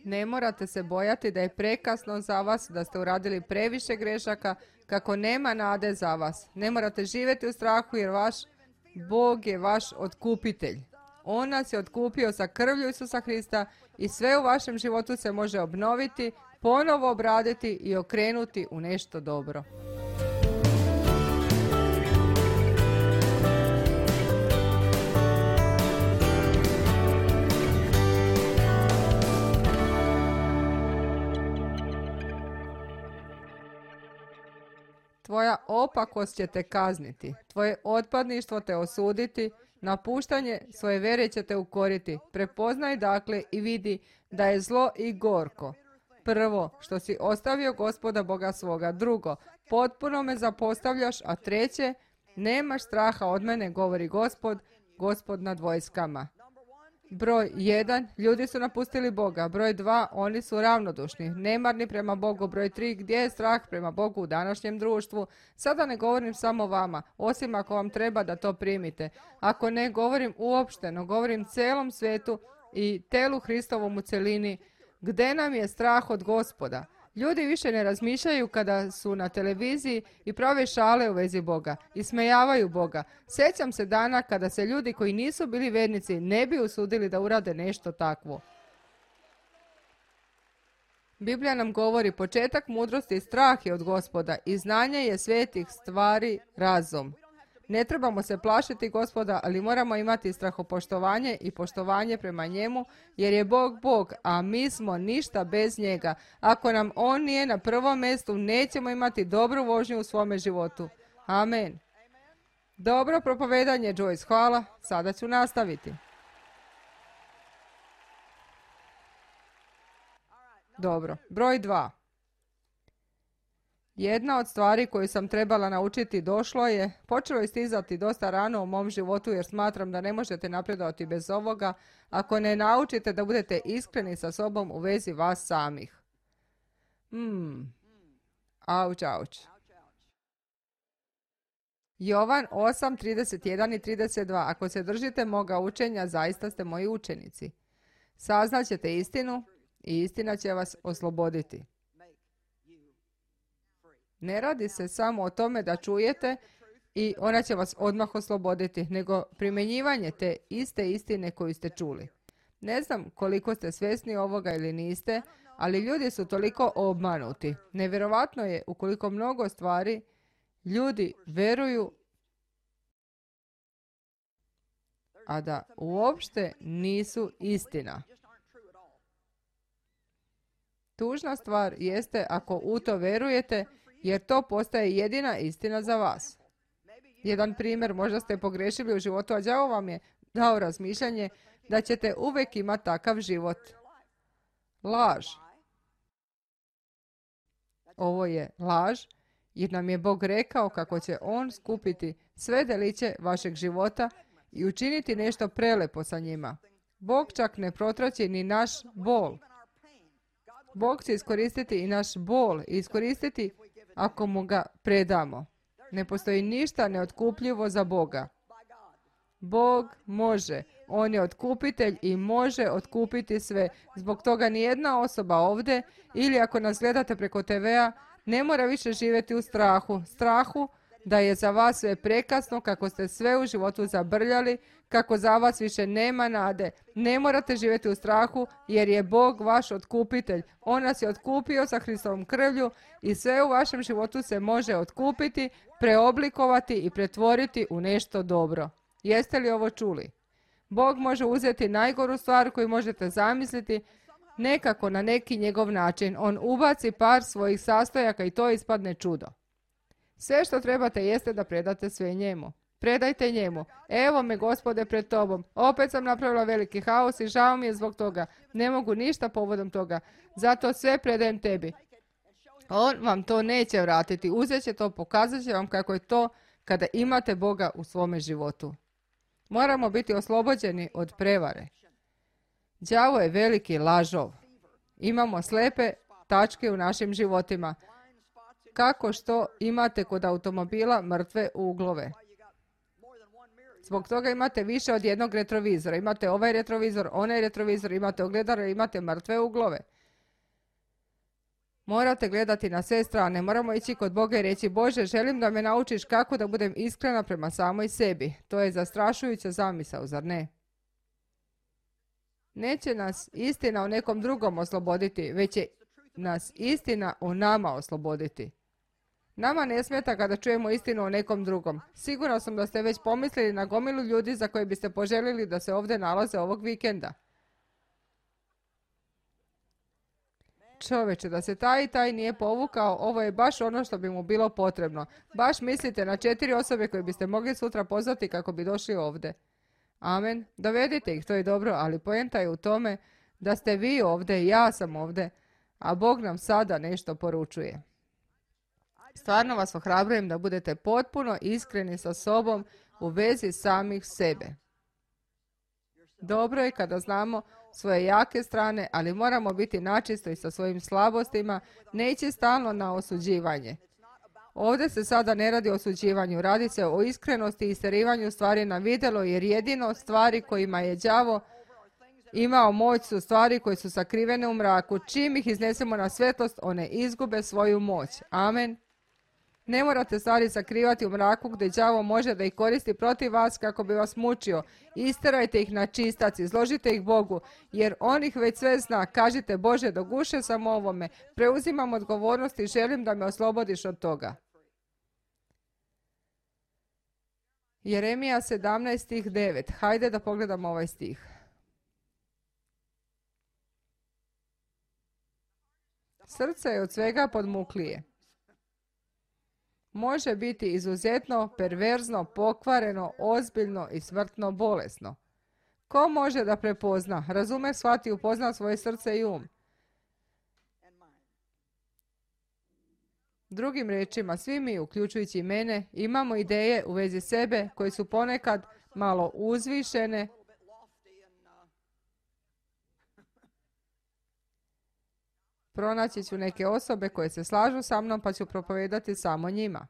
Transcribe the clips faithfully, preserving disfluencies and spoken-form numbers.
Ne morate se bojati da je prekasno za vas, da ste uradili previše grešaka, kako nema nade za vas. Ne morate živjeti u strahu jer vaš Bog je vaš otkupitelj. On nas je otkupio sa krvlju Isusa Krista i sve u vašem životu se može obnoviti, ponovo obraditi i okrenuti u nešto dobro. Tvoja opakost će te kazniti, tvoje otpadništvo te osuditi, napuštanje svoje vere će te ukoriti. Prepoznaj dakle i vidi da je zlo i gorko. Prvo, što si ostavio Gospoda Boga svoga. Drugo, potpuno me zapostavljaš. A treće, nemaš straha od mene, govori Gospod, Gospod nad vojskama. Broj jedan, ljudi su napustili Boga. Broj dva, oni su ravnodušni, nemarni prema Bogu. Broj tri, gdje je strah prema Bogu u današnjem društvu? Sada ne govorim samo vama, osim ako vam treba da to primite. Ako ne govorim uopšteno, govorim celom svetu i telu Hristovom u celini. Gdje nam je strah od Gospoda? Ljudi više ne razmišljaju kada su na televiziji i prave šale u vezi Boga. Ismejavaju Boga. Sjećam se dana kada se ljudi koji nisu bili vernici ne bi usudili da urade nešto takvo. Biblija nam govori početak mudrosti i strah je od Gospoda i znanje je svetih stvari razum. Ne trebamo se plašiti Gospoda, ali moramo imati strahopoštovanje i poštovanje prema njemu, jer je Bog Bog, a mi smo ništa bez njega. Ako nam on nije na prvom mjestu, nećemo imati dobru vožnju u svome životu. Amen. Dobro propovedanje, Joyce, hvala. Sada ću nastaviti. Dobro, broj dva. Jedna od stvari koju sam trebala naučiti došlo je, počelo je stizati dosta rano u mom životu jer smatram da ne možete napredovati bez ovoga ako ne naučite da budete iskreni sa sobom u vezi vas samih. Hmm. Auć, auć. Jovan osam, trideset jedan i trideset dva. Ako se držite moga učenja, zaista ste moji učenici. Saznaćete istinu i istina će vas osloboditi. Ne radi se samo o tome da čujete i ona će vas odmah osloboditi, nego primjenjivanje te iste istine koju ste čuli. Ne znam koliko ste svjesni ovoga ili niste, ali ljudi su toliko obmanuti. Nevjerovatno je ukoliko mnogo stvari ljudi veruju, a da uopšte nisu istina. Tužna stvar jeste ako u to verujete, jer to postaje jedina istina za vas. Jedan primjer, možda ste pogrešili u životu, a đavo vam je dao razmišljanje da ćete uvijek imati takav život. Laž. Ovo je laž, jer nam je Bog rekao kako će On skupiti sve deliće vašeg života i učiniti nešto prelepo sa njima. Bog čak ne protraći ni naš bol. Bog će iskoristiti i naš bol i iskoristiti ako mu ga predamo. Ne postoji ništa neotkupljivo za Boga. Bog može. On je otkupitelj i može otkupiti sve. Zbog toga nijedna osoba ovdje ili ako nas gledate preko te vea ne mora više živjeti u strahu. Strahu da je za vas sve prekasno, kako ste sve u životu zabrljali, kako za vas više nema nade. Ne morate živjeti u strahu jer je Bog vaš otkupitelj. On nas je otkupio sa Hristovom krvlju i sve u vašem životu se može otkupiti, preoblikovati i pretvoriti u nešto dobro. Jeste li ovo čuli? Bog može uzeti najgoru stvar koju možete zamisliti, nekako na neki njegov način. On ubaci par svojih sastojaka i to ispadne čudo. Sve što trebate jeste da predate sve njemu. Predajte njemu. Evo me, Gospode, pred tobom. Opet sam napravila veliki haos i žao mi je zbog toga. Ne mogu ništa povodom toga. Zato sve predajem tebi. On vam to neće vratiti. Uzet će to, pokazat će vam kako je to kada imate Boga u svome životu. Moramo biti oslobođeni od prevare. Đavo je veliki lažov. Imamo slepe tačke u našim životima. Kako što imate kod automobila mrtve uglove. Zbog toga imate više od jednog retrovizora. Imate ovaj retrovizor, onaj retrovizor, imate ogledalo, imate mrtve uglove. Morate gledati na sve strane. Moramo ići kod Boga i reći: Bože, želim da me naučiš kako da budem iskrena prema samoj sebi. To je zastrašujuća zamisao, zar ne? Neće nas istina o nekom drugom osloboditi, već će nas istina o nama osloboditi. Nama ne smeta kada čujemo istinu o nekom drugom. Sigurno sam da ste već pomislili na gomilu ljudi za koje biste poželjeli da se ovdje nalaze ovog vikenda. Čoveče, da se taj i taj nije povukao, ovo je baš ono što bi mu bilo potrebno. Baš mislite na četiri osobe koje biste mogli sutra pozvati kako bi došli ovdje. Amen. Dovedite ih, to je dobro, ali poenta je u tome da ste vi ovdje i ja sam ovdje, a Bog nam sada nešto poručuje. Stvarno vas ohrabrujem da budete potpuno iskreni sa sobom u vezi samih sebe. Dobro je kada znamo svoje jake strane, ali moramo biti načisto i sa svojim slabostima, ne ići stalno na osuđivanje. Ovdje se sada ne radi o osuđivanju, radi se o iskrenosti i isterivanju stvari na vidjelo, jer jedino stvari kojima je đavo imao moć su stvari koje su sakrivene u mraku. Čim ih iznesemo na svetlost, one izgube svoju moć. Amen. Ne morate stvari sakrivati u mraku gdje đavo može da ih koristi protiv vas kako bi vas mučio. Isterajte ih na čistac, izložite ih Bogu, jer on ih već sve zna. Kažite: Bože, doguše sam ovome, preuzimam odgovornost i želim da me oslobodiš od toga. Jeremija sedamnaest stih devet. Hajde da pogledamo ovaj stih. Srce je od svega podmuklije. Može biti izuzetno, perverzno, pokvareno, ozbiljno i smrtno bolesno. Ko može da prepozna, razume, shvati, upozna svoje srce i um? Drugim riječima, svi mi, uključujući mene, imamo ideje u vezi sebe koje su ponekad malo uzvišene, pronaći ću neke osobe koje se slažu sa mnom pa ću propovedati samo njima.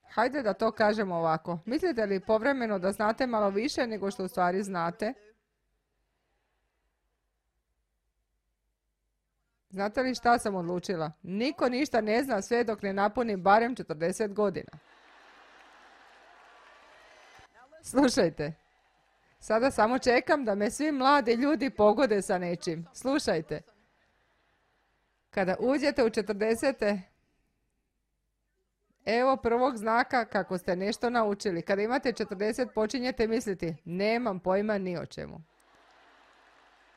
Hajde da to kažemo ovako. Mislite li povremeno da znate malo više nego što u stvari znate? Znate li šta sam odlučila? Niko ništa ne zna sve dok ne napuni barem četrdeset godina. Slušajte. Sada samo čekam da me svi mladi ljudi pogode sa nečim. Slušajte. Kada uđete u četrdesete, evo prvog znaka kako ste nešto naučili. Kada imate četrdeset, počinjete misliti: nemam pojma ni o čemu.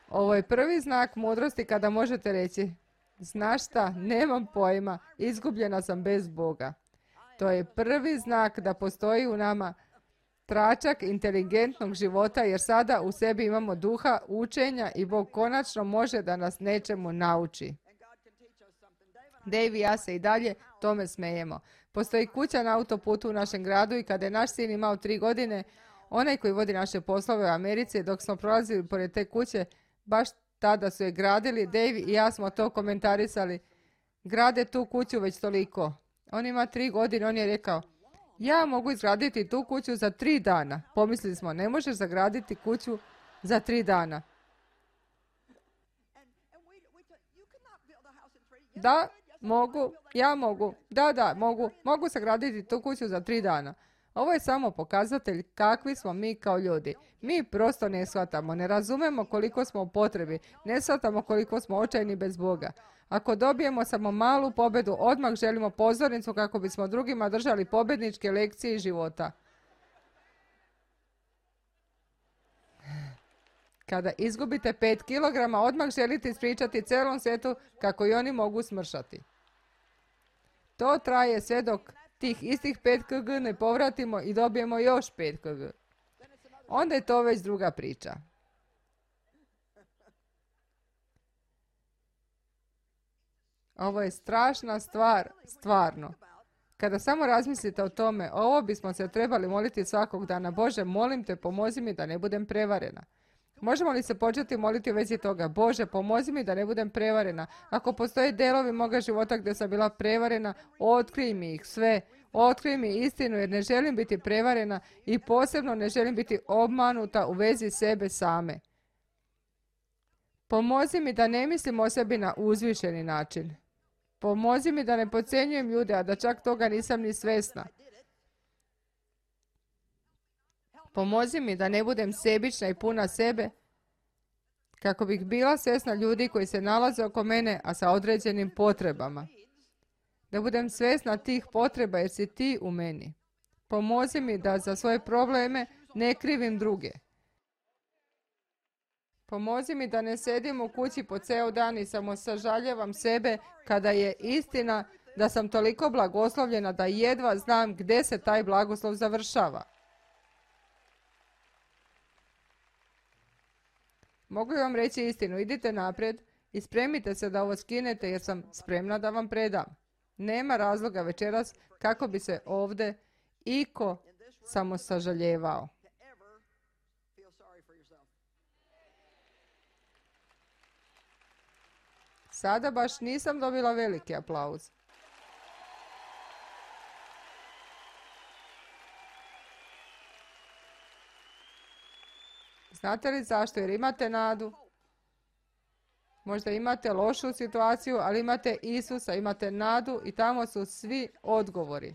Ovo je prvi znak mudrosti kada možete reći: znaš šta, nemam pojma, izgubljena sam bez Boga. To je prvi znak da postoji u nama tračak inteligentnog života, jer sada u sebi imamo duha učenja i Bog konačno može da nas nečemu nauči. Dave i ja se i dalje tome smejemo. Postoji kuća na autoputu u našem gradu i kada je naš sin imao tri godine, onaj koji vodi naše poslove u Americi, dok smo prolazili pored te kuće, baš tada su je gradili, Dave i ja smo to komentarisali. Grade tu kuću već toliko. On ima tri godine, on je rekao: ja mogu izgraditi tu kuću za tri dana. Pomislili smo: ne možeš zagraditi kuću za tri dana. Da, mogu, ja mogu, da, da, mogu, mogu sagraditi tu kuću za tri dana. Ovo je samo pokazatelj kakvi smo mi kao ljudi. Mi prosto ne shvatamo, ne razumemo koliko smo u potrebi, ne shvatamo koliko smo očajni bez Boga. Ako dobijemo samo malu pobjedu, odmah želimo pozornicu kako bismo drugima držali pobjedničke lekcije života. Kada izgubite pet kilograma, odmah želite ispričati celom svijetu kako i oni mogu smršati. To traje sve dok tih istih pet kilograma ne povratimo i dobijemo još pet kilograma. Onda je to već druga priča. Ovo je strašna stvar, stvarno. Kada samo razmislite o tome, ovo bismo se trebali moliti svakog dana. Bože, molim te, pomozi mi da ne budem prevarena. Možemo li se početi moliti u vezi toga? Bože, pomozi mi da ne budem prevarena. Ako postoje delovi moga života gdje sam bila prevarena, otkrij mi ih sve. Otkrij mi istinu, jer ne želim biti prevarena i posebno ne želim biti obmanuta u vezi sebe same. Pomozi mi da ne mislim o sebi na uzvišeni način. Pomozi mi da ne podcjenjujem ljude, a da čak toga nisam ni svjesna. Pomozi mi da ne budem sebična i puna sebe, kako bih bila svjesna ljudi koji se nalaze oko mene, a sa određenim potrebama. Da budem svjesna tih potreba jer si ti u meni. Pomozi mi da za svoje probleme ne krivim druge. Pomozi mi da ne sedim u kući po ceo dan i samo sažaljevam sebe kada je istina da sam toliko blagoslovljena da jedva znam gdje se taj blagoslov završava. Mogu li vam reći istinu? Idite naprijed i spremite se da ovo skinete jer sam spremna da vam predam. Nema razloga večeras kako bi se ovdje iko samo sažaljevao. Sada baš nisam dobila veliki aplauz. Znate li zašto? Jer imate nadu. Možda imate lošu situaciju, ali imate Isusa, imate nadu i tamo su svi odgovori.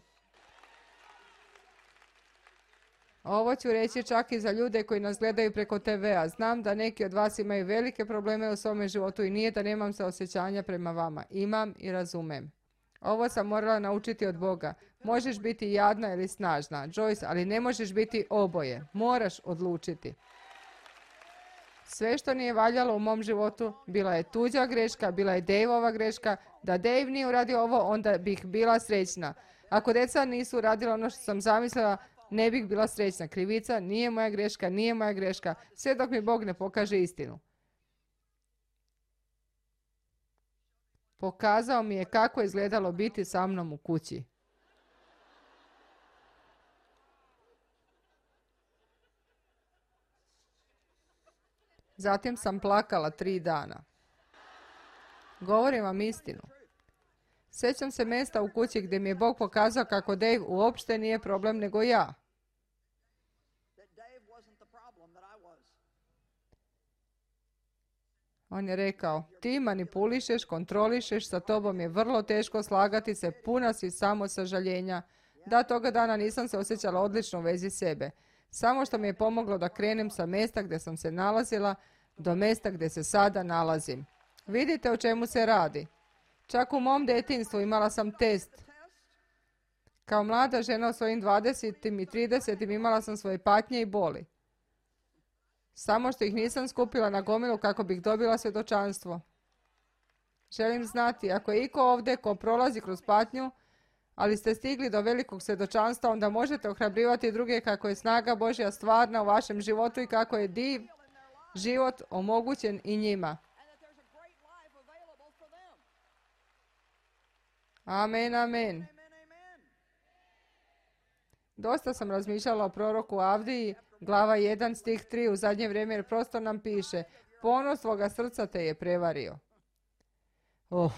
Ovo ću reći čak i za ljude koji nas gledaju preko te vea. Znam da neki od vas imaju velike probleme u svome životu i nije da nemam saosjećanja prema vama. Imam i razumem. Ovo sam morala naučiti od Boga. Možeš biti jadna ili snažna, Joyce, ali ne možeš biti oboje. Moraš odlučiti. Sve što nije valjalo u mom životu, bila je tuđa greška, bila je Daveova greška. Da Dave nije uradio ovo, onda bih bila srećna. Ako djeca nisu uradila ono što sam zamislila, ne bih bila srećna. Krivica nije moja greška, nije moja greška, sve dok mi Bog ne pokaže istinu. Pokazao mi je kako je izgledalo biti sa mnom u kući. Zatim sam plakala tri dana. Govorim vam istinu. Sjećam se mjesta u kući gdje mi je Bog pokazao kako Dave uopšte nije problem nego ja. On je rekao, ti manipulišeš, kontrolišeš, sa tobom je vrlo teško slagati se, puna si samo sažaljenja. Da, toga dana nisam se osjećala odlično u vezi sebe. Samo što mi je pomoglo da krenem sa mjesta gdje sam se nalazila do mjesta gdje se sada nalazim. Vidite o čemu se radi. Čak u mom djetinjstvu imala sam test. Kao mlada žena u svojim dvadesetim i tridesetim imala sam svoje patnje i boli. Samo što ih nisam skupila na gomilu kako bih dobila svjedočanstvo. Želim znati, ako je iko ovdje ko prolazi kroz patnju, ali ste stigli do velikog svjedočanstva, onda možete ohrabrivati druge kako je snaga Božja stvarna u vašem životu i kako je div život omogućen i njima. Amen, amen. Dosta sam razmišljala o proroku Avdiji, glava jedan, stih tri, u zadnje vrijeme, jer prosto nam piše, ponos svoga srca te je prevario. Oh,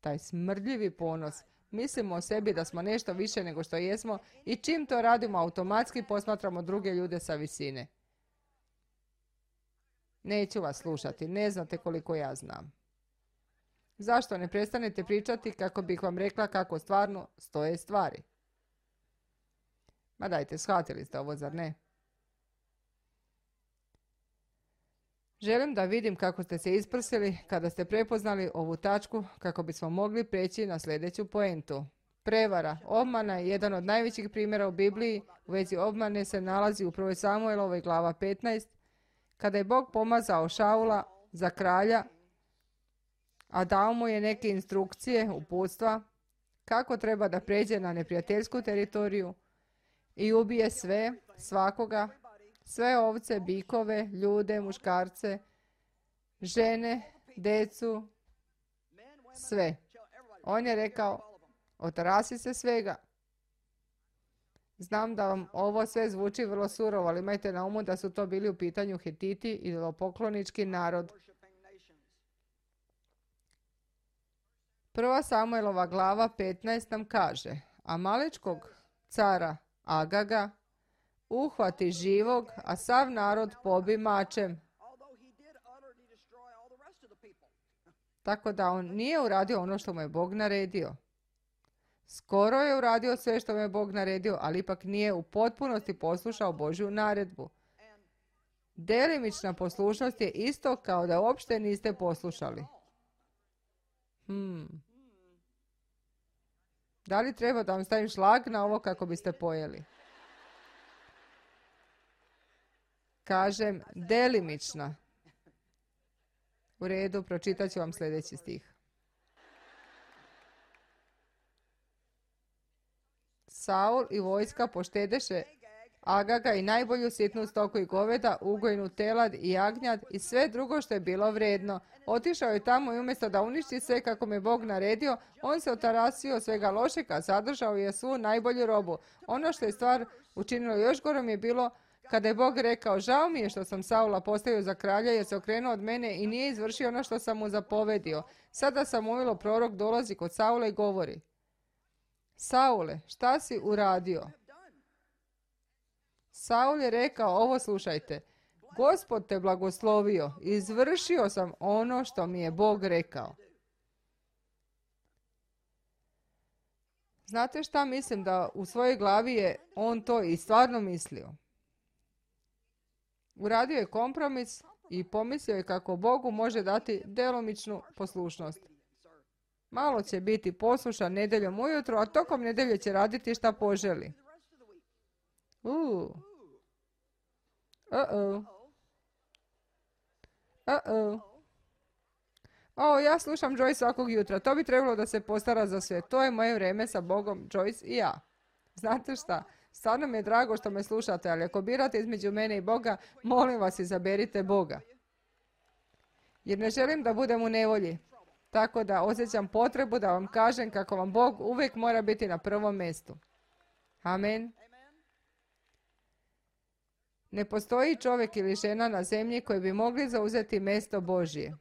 taj smrdljivi ponos. Mislimo o sebi da smo nešto više nego što jesmo i čim to radimo automatski posmatramo druge ljude sa visine. Neću vas slušati, ne znate koliko ja znam. Zašto ne prestanete pričati kako bih vam rekla kako stvarno stoje stvari? Ma dajte, shvatili ste ovo, zar ne? Želim da vidim kako ste se isprsili kada ste prepoznali ovu tačku kako bismo mogli preći na sljedeću poentu. Prevara, obmana je jedan od najvećih primjera u Bibliji. U vezi obmane se nalazi u prvoj Samuelovoj glava petnaest, kada je Bog pomazao Šaula za kralja, a dao mu je neke instrukcije, uputstva, kako treba da pređe na neprijateljsku teritoriju i ubije sve, svakoga, sve ovce, bikove, ljude, muškarce, žene, decu, sve. On je rekao, otarasi se svega. Znam da vam ovo sve zvuči vrlo surovo, ali imajte na umu da su to bili u pitanju Hititi, idolopoklonički narod. Prva Samuelova glava petnaest nam kaže, Amalečkog cara Agaga uhvati živog, a sav narod pobi mačem. Tako da on nije uradio ono što mu je Bog naredio. Skoro je uradio sve što mu je Bog naredio, ali ipak nije u potpunosti poslušao Božju naredbu. Delimična poslušnost je isto kao da uopšte niste poslušali. Hmm. Da li treba da vam stavim šlag na ovo kako biste pojeli? Kažem delimična. U redu, pročitat ću vam sljedeći stih. Saul i vojska poštedeše Agaga i najbolju sitnu stoku i goveda, ugojnu telad i jagnjad i sve drugo što je bilo vredno. Otišao je tamo i umjesto da uništi sve kako mu je Bog naredio, on se otarasio svega lošeg, a zadržao je svu najbolju robu. Ono što je stvar učinilo još gorom je bilo kada je Bog rekao: žao mi je što sam Saula postavio za kralja jer se okrenuo od mene i nije izvršio ono što sam mu zapovedio. Sada Samuilo prorok dolazi kod Saula i govori: Saule, šta si uradio? Saul je rekao: ovo slušajte, Gospod te blagoslovio, izvršio sam ono što mi je Bog rekao. Znate šta mislim? Da u svojoj glavi je on to i stvarno mislio. Uradio je kompromis i pomislio je kako Bogu može dati djelomičnu poslušnost. Malo će biti poslušan nedjeljom ujutro, a tokom nedjelje će raditi šta poželi. Uh. Uh-oh. Uh-oh. O, ja slušam Joyce svakog jutra. To bi trebalo da se postara za sve. To je moje vrijeme sa Bogom, Joyce i ja. Znate šta? Stvarno mi je drago što me slušate, ali ako birate između mene i Boga, molim vas, izaberite Boga. Jer ne želim da budem u nevolji. Tako da osjećam potrebu da vam kažem kako vam Bog uvijek mora biti na prvom mjestu. Amen. Ne postoji čovjek ili žena na zemlji koji bi mogli zauzeti mjesto Božje.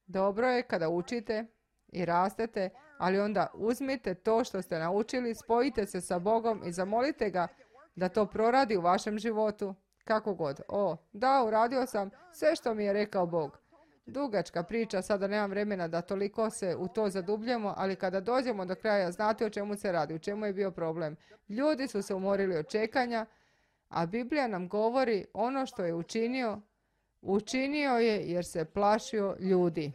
Dobro je kada učite i rastete, ali onda uzmite to što ste naučili, spojite se sa Bogom i zamolite ga da to proradi u vašem životu. Kako god. O, da, uradio sam sve što mi je rekao Bog. Dugačka priča, sada nemam vremena da toliko se u to zadubljamo, ali kada dođemo do kraja, znate o čemu se radi, u čemu je bio problem. Ljudi su se umorili od čekanja, a Biblija nam govori ono što je učinio, učinio je jer se plašio ljudi.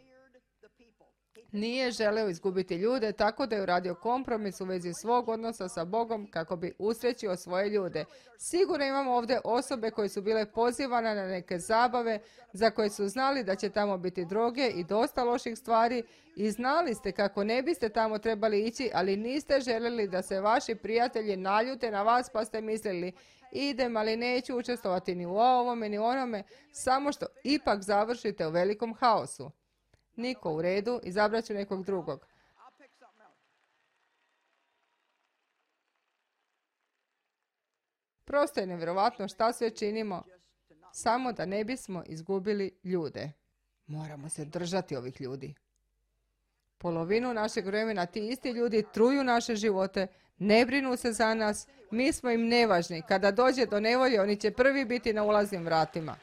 Nije želeo izgubiti ljude, tako da je uradio kompromis u vezi svog odnosa sa Bogom kako bi usrećio svoje ljude. Sigurno imamo ovdje osobe koje su bile pozivane na neke zabave za koje su znali da će tamo biti droge i dosta loših stvari i znali ste kako ne biste tamo trebali ići, ali niste željeli da se vaši prijatelji naljute na vas pa ste mislili: idem, ali neću učestvovati ni u ovome ni u onome, samo što ipak završite u velikom haosu. Niko, u redu, izabrat ću nekog drugog. Prosto je nevjerovatno šta sve činimo, samo da ne bismo izgubili ljude. Moramo se držati ovih ljudi. Polovinu našeg vremena ti isti ljudi truju naše živote, ne brinu se za nas, mi smo im nevažni. Kada dođe do nevolje, oni će prvi biti na ulaznim vratima.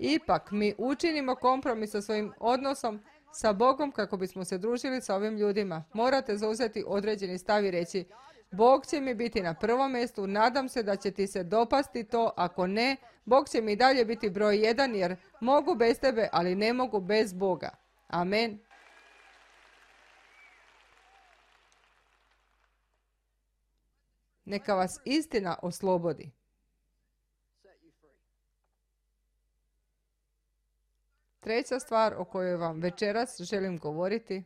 Ipak mi učinimo kompromis sa svojim odnosom sa Bogom kako bismo se družili sa ovim ljudima. Morate zauzeti određeni stav i reći: Bog će mi biti na prvom mjestu, nadam se da će ti se dopasti to, ako ne, Bog će mi dalje biti broj jedan jer mogu bez tebe, ali ne mogu bez Boga. Amen. Neka vas istina oslobodi. Treća stvar o kojoj vam večeras želim govoriti.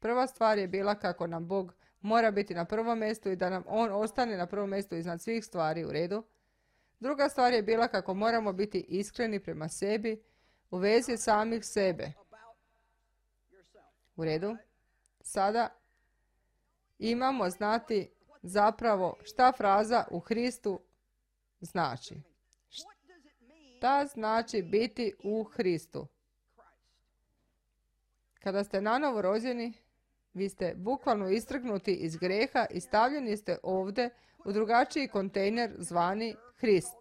Prva stvar je bila kako nam Bog mora biti na prvom mjestu i da nam On ostane na prvom mjestu iznad svih stvari, u redu. Druga stvar je bila kako moramo biti iskreni prema sebi u vezi samih sebe. U redu. Sada imamo znati zapravo šta fraza u Hristu znači. Šta znači biti u Hristu? Kada ste nanovo rođeni, vi ste bukvalno istrgnuti iz grijeha i stavljeni ste ovdje u drugačiji kontejner zvani Hrist.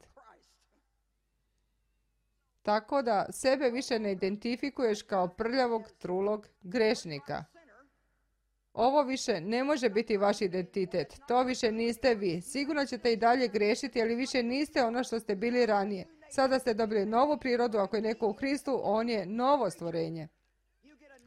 tako da sebe više ne identifikuješ kao prljavog, trulog grešnika. Ovo više ne može biti vaš identitet. To više niste vi. Sigurno ćete i dalje grešiti, ali više niste ono što ste bili ranije. Sada ste dobili novu prirodu. Ako je neko u Kristu, on je novo stvorenje.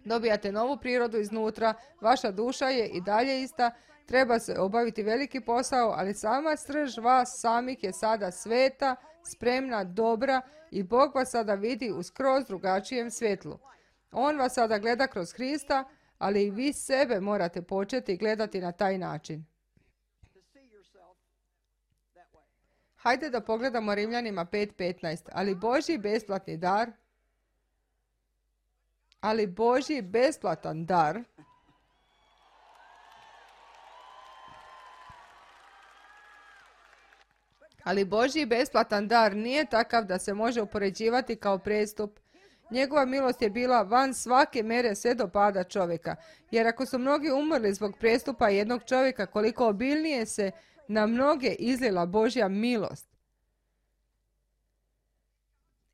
Dobijate novu prirodu iznutra. Vaša duša je i dalje ista. Treba se obaviti veliki posao, ali sama srž vas samih je sada sveta, spremna, dobra i Bog vas sada vidi u skroz drugačijem svjetlu. On vas sada gleda kroz Krista, ali i vi sebe morate početi gledati na taj način. Hajde da pogledamo Rimljanima pet petnaest. Ali Božji besplatni dar, ali Božji besplatan dar, ali Božji besplatan dar nije takav da se može upoređivati kao prestup. Njegova milost je bila van svake mere sve do pada čovjeka. Jer ako su mnogi umrli zbog prestupa jednog čovjeka, koliko obilnije se na mnoge izlila Božja milost.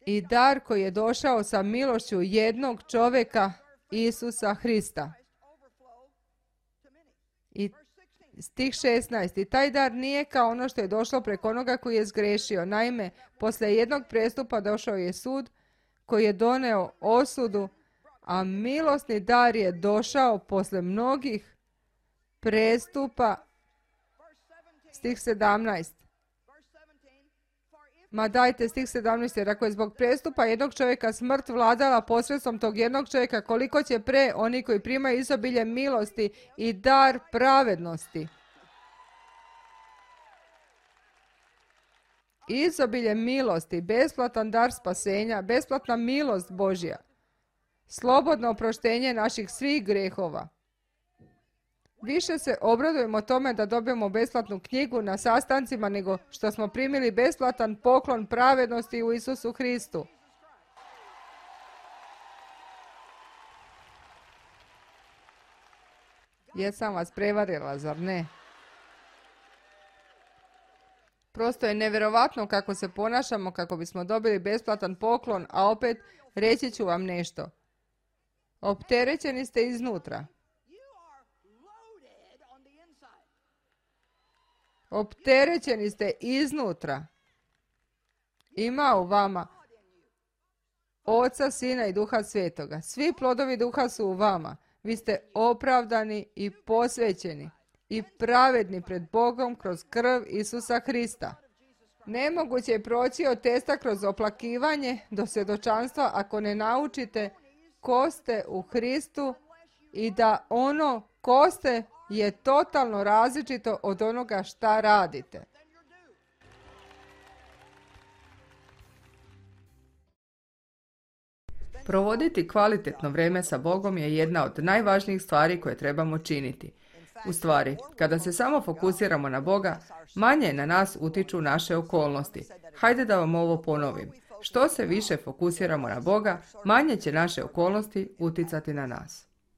I dar koji je došao sa milošću jednog čovjeka, Isusa Hrista. I stih šesnaest. I taj dar nije kao ono što je došlo preko onoga koji je zgrešio. Naime, poslije jednog prestupa došao je sud koji je doneo osudu, a milosni dar je došao posle mnogih prestupa. Stih sedamnaest. Ma dajte, stih sedamnaest. Jer ako je zbog prestupa jednog čovjeka smrt vladala posredstvom tog jednog čovjeka, koliko će pre oni koji primaju izobilje milosti i dar pravednosti. Izobilje milosti, besplatan dar spasenja, besplatna milost Božja, slobodno oproštenje naših svih grehova. Više se obradujemo tome da dobijemo besplatnu knjigu na sastancima nego što smo primili besplatan poklon pravednosti u Isusu Hristu. Jesam vas prevarila, zar ne? Prosto je nevjerovatno kako se ponašamo kako bismo dobili besplatan poklon, a opet reći ću vam nešto. Opterećeni ste iznutra. Opterećeni ste iznutra. Ima u vama Oca, Sina i Duha Svetoga. Svi plodovi Duha su u vama. Vi ste opravdani i posvećeni i pravedni pred Bogom kroz krv Isusa Hrista. Nemoguće je proći od testa kroz oplakivanje do svjedočanstva ako ne naučite ko ste u Hristu i da ono ko ste je totalno različito od onoga šta radite. Provoditi kvalitetno vrijeme sa Bogom je jedna od najvažnijih stvari koje trebamo činiti. U stvari, kada se samo fokusiramo na Boga, manje na nas utiču naše okolnosti. Hajde da vam ovo ponovim. Što se više fokusiramo na Boga, manje će naše okolnosti uticati na nas.